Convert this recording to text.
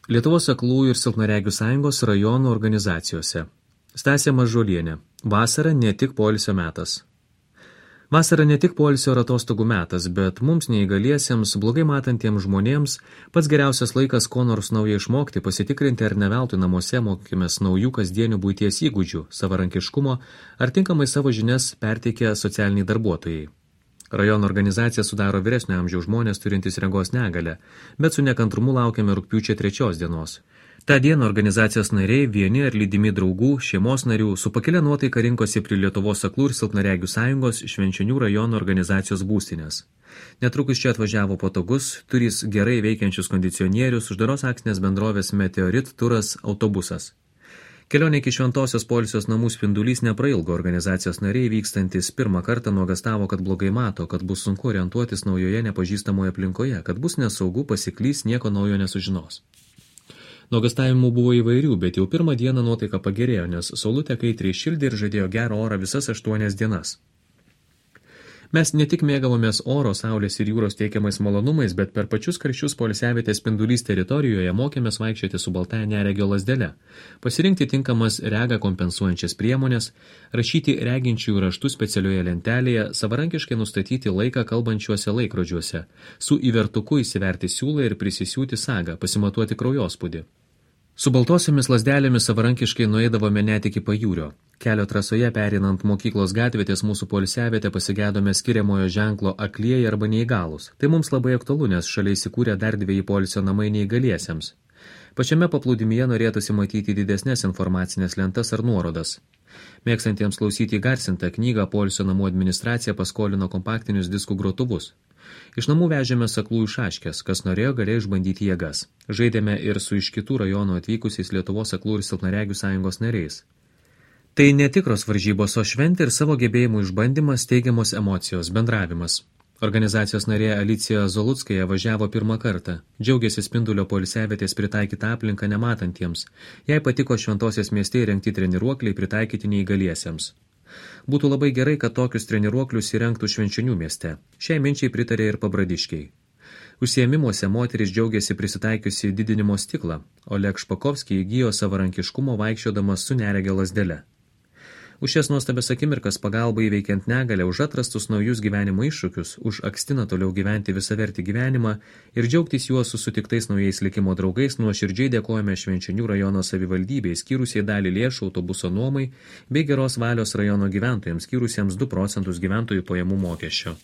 Lietuvos aklųjų ir silpnaregių sąjungos rajonų organizacijose. Stasė Mažulienė. Vasara ne tik poilsio metas. Vasara ne tik poilsio ir atostogų metas, bet mums neįgaliesiems, blogai matantiems žmonėms pats geriausias laikas ko nors naują išmokti, pasitikrinti ar ne veltui namuose mokykimės naujų kasdienių buities įgūdžių, savarankiškumo ar tinkamai savo žinias perteikia socialiniai darbuotojai. Rajono organizacija sudaro vyresnio amžiaus žmonės turintys regos negalią, bet su nekantrumu laukiame rugpjūčio 3 dienos. Ta diena organizacijos nariai, vieni ar lydimi draugų, šeimos narių, su pakilia nuotaika rinkosi prie Lietuvos aklų ir silpnaregių sąjungos Švenčionių rajono organizacijos būstinės. Netrukus čia atvažiavo patogus, turys gerai veikiančius kondicionierius, uždaros akcinės bendrovės Meteorit turas autobusas. Kelionė iki šventosios poilsios namų spindulys neprailgo, organizacijos nariai vykstantis pirmą kartą nuogastavo, kad blogai mato, kad bus sunku orientuotis naujoje nepažįstamoje aplinkoje, kad bus nesaugu, pasiklys, nieko naujo nesužinos. Nuogastavimų buvo įvairių, bet jau pirmą dieną nuotaika pagerėjo, nes saulutė kaitriai šildė ir žadėjo gerą orą visas 8 dienas. Mes ne tik mėgavomės oro, saulės ir jūros teikiamais malonumais, bet per pačius karščius poilsiavietės spindulys teritorijoje mokėmės vaikščioti su baltąja neregio lazdele, pasirinkti tinkamas regą kompensuojančias priemonės, rašyti reginčiųjų raštus specialioje lentelėje, savarankiškai nustatyti laiką kalbančiuose laikrodžiuose, su įvertuku įsiverti siūlą ir prisisiūti sagą, pasimatuoti kraujospūdį. Su baltosiomis lazdelėmis savarankiškai nueidavome net iki pajūrio. Kelio trasoje perinant mokyklos gatvėtės mūsų poilsiavietę pasigedome skiriamojo ženklo aklieji arba neįgalūs. Tai mums labai aktualu, nes šalia įsikūrė dar 2 poilsio namai neįgaliesiems. Pačiame paplūdimyje norėtųsi matyti didesnės informacinės lentas ar nuorodas. Mėgstantiems klausyti įgarsintą knygą poilsio namų administracija paskolino kompaktinius diskų grotuvus. Iš namų vežėme aklųjų šaškes, kas norėjo galėjo išbandyti jėgas. Žaidėme ir su iš kitų rajonų atvykusiais Lietuvos aklųjų ir silpnaregių sąjungos nariais. Tai netikros varžybos, o šventė ir savo gebėjimų išbandymas, teigiamos emocijos, bendravimas. Organizacijos narė Alicija Zolutskaja važiavo pirmą kartą. Džiaugiasi spindulio poilsiavietės pritaikytą aplinką nematantiems. Jai patiko šventosios mieste įrengti treniruokliai pritaikyti neįgaliesiems. Būtų labai gerai, kad tokius treniruoklius įrengtų Švenčionių mieste. Šiai minčiai pritarė ir pabradiškiai. Užsiėmimuose moteris džiaugiasi prisitaikiusi didinimo stiklą, o Oleg Špakovskis įgijo savarankiškumo vaikščiodamas su neregio lazdele. Už šias nuostabias akimirkas pagalba įveikiant negalę, už atrastus naujus gyvenimo iššūkius, už akstiną toliau gyventi visavertį gyvenimą ir džiaugtis juos su sutiktais naujais likimo draugais, nuoširdžiai dėkojame Švenčionių rajono savivaldybei, skyrusiai dalį lėšų autobuso nuomai bei geros valios rajono gyventojams, skyrusiems 2% gyventojų pajamų mokesčio.